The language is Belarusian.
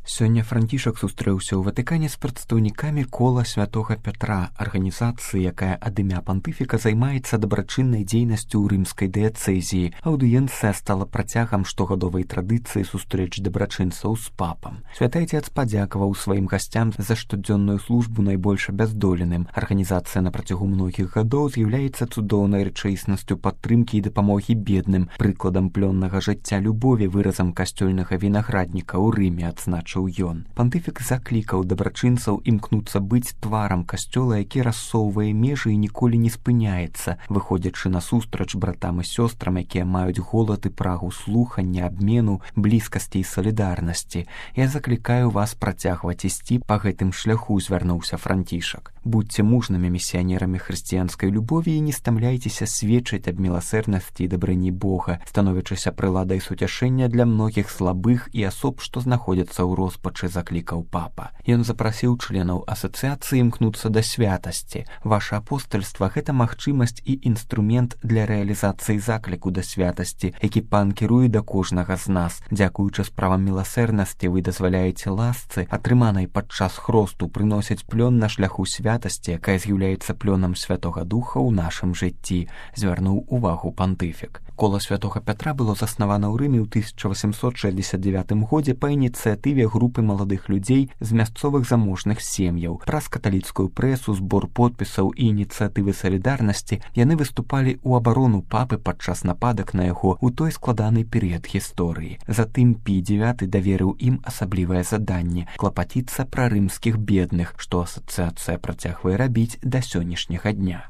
Сёння Францішак сустрэўся ў Ватыкане з прадстаўнікамі кола святога Пятра, арганізацыі, якая ад імя пантыфіка займаецца дабрачыннай дзейнасцю ў рымскай дыяцэзіі. Аўдыенцыя стала працягам штогадовай традыцыі сустрэч дабрачынцаў з папам. Святы Айцец падзякаваў сваім гасцям за штодзённую службу найбольш абяздоленым. Арганізацыя на працягу многіх гадоў з'яўляецца цудоўнай рэчаіснасцю падтрымкі і дапамогі бедным, прыкладам плённага жыцця любові, выразам касцёльнага вінаградніка ў Рыме, адзначыў ён. Пантыфік заклікаў дабрачынцаў імкнуцца быць тварам касцёла, які рассоўвае межы і ніколі не спыняецца, выходзячы насустрач братам і сёстрам, якія маюць голад і прагу слухання, абмену, блізкасці і салідарнасці. Я заклікаю вас працягваць ісці па гэтым шляху, звярнуўся Францішак. Будьце мужнымі місіянерамі хрысціянскай любові і не стамляйцеся сведчыць аб міласэрнасці і дабрыні Бога, становячыся прыладай суцяшэння для многіх слабых і асоб, што знаходзяцца ў роспачы, заклікаў папа. Ён запрасіў членаў асацыяцыі імкнуцца да святасці. Ваша апостальства — гэта магчымасць і інструмент для рэалізацыі закліку да святасці, які пан кіруе да кожнага з нас. Дзякуючы справам міласэрнасці вы дазваляеце ласцы, атрыманай падчас хросту, прыносіць плён на шляху святасці, якая з'яўляецца плёнам Святога Духа ў нашым жыцці, звярнуў увагу пантыфік. Кола святога Пятра было заснавана ў Рыме ў 1869 годзе па ініцыятыве групы маладых людзей з мясцовых заможных сем'яў. Праз каталіцкую прэсу, збор подпісаў і ініцыятывы салідарнасці яны выступалі ў абарону папы падчас нападак на яго ў той складаны перыяд гісторыі. Затым Пій IX даверыў ім асаблівае заданне — клапаціцца пра рымскіх бедных, што асацыяцыя працягвае рабіць да сённяшняга дня.